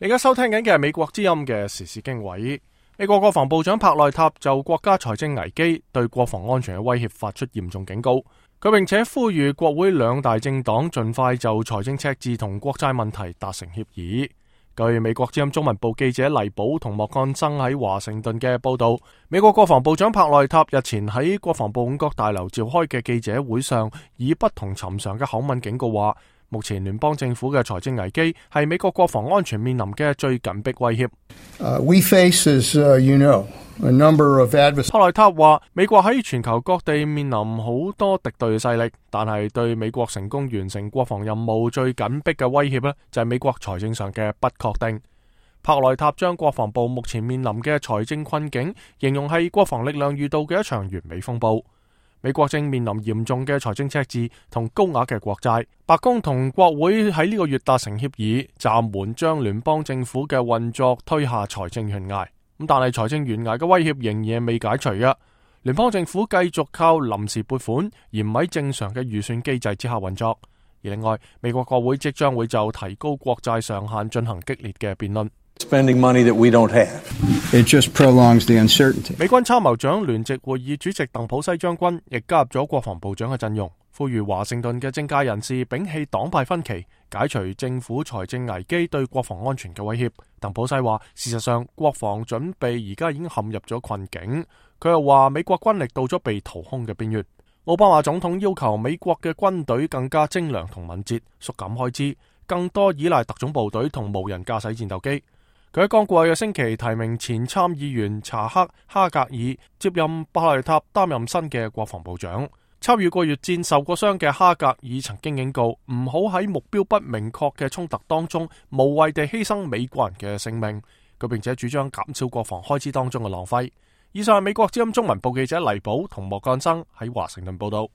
你而家收聽緊嘅係美國之音嘅時事經緯。美國國防部長帕內塔就國家財政危機對國防安全嘅威脅發出嚴重警告，佢並且呼籲國會兩大政黨盡快就財政赤字同國債問題達成協議。據美國之音中文部記者黎寶同莫干生喺華盛頓嘅報道，美國國防部長帕內塔日前喺國防部五角大樓召開嘅記者會上，以不同尋常嘅口吻警告話，目前聯邦政府嘅財政危機係美國國防安全面臨嘅最緊迫威脅。We face, as you know, a number of adversaries. 帕內塔話，美國喺全球各地面臨好多敵對嘅勢力，但係對美國成功完成國防任務最緊迫嘅威脅呢，就係美國財政上嘅不確定。帕內塔將國防部目前面臨嘅財政困境形容係國防力量遇到嘅一場完美風暴。美國正面臨嚴重嘅財政赤字同高額嘅國債，白宮同國會喺呢個月達成協議，暫緩將聯邦政府嘅運作推下財政懸崖。但係財政懸崖嘅威脅仍然未解除嘅，聯邦政府繼續靠臨時撥款，而唔喺正常嘅預算機制之下運作。而另外，美國國會即將會就提高國債上限進行激烈嘅辯論。Spending money that we don't have. It just prolongs the uncertainty. 美軍參謀長聯席會議主席鄧普西將軍亦加入咗國防部長嘅陣容，呼籲華盛頓嘅政界人士摒棄黨派分歧，解除政府財政危機對國防安全嘅威脅。鄧普西話，事實上國防準備而家已經陷入咗困境。佢又話，美國軍力到咗被掏空嘅邊緣。奧巴馬總統要求美國嘅軍隊更加精良同敏捷，縮減開支，更多依賴特種部隊同無人駕駛戰鬥機。佢喺剛過去嘅星期提名前參議員查克·哈格爾接任帕內塔擔任新嘅國防部長。參與過越戰受過傷嘅哈格爾曾經警告，唔好喺目標不明確嘅衝突當中無謂地犧牲美國人嘅性命。佢並且主張減少國防開支當中嘅浪費。以上係美國之音中文部記者黎寶同莫干生喺華盛頓報道。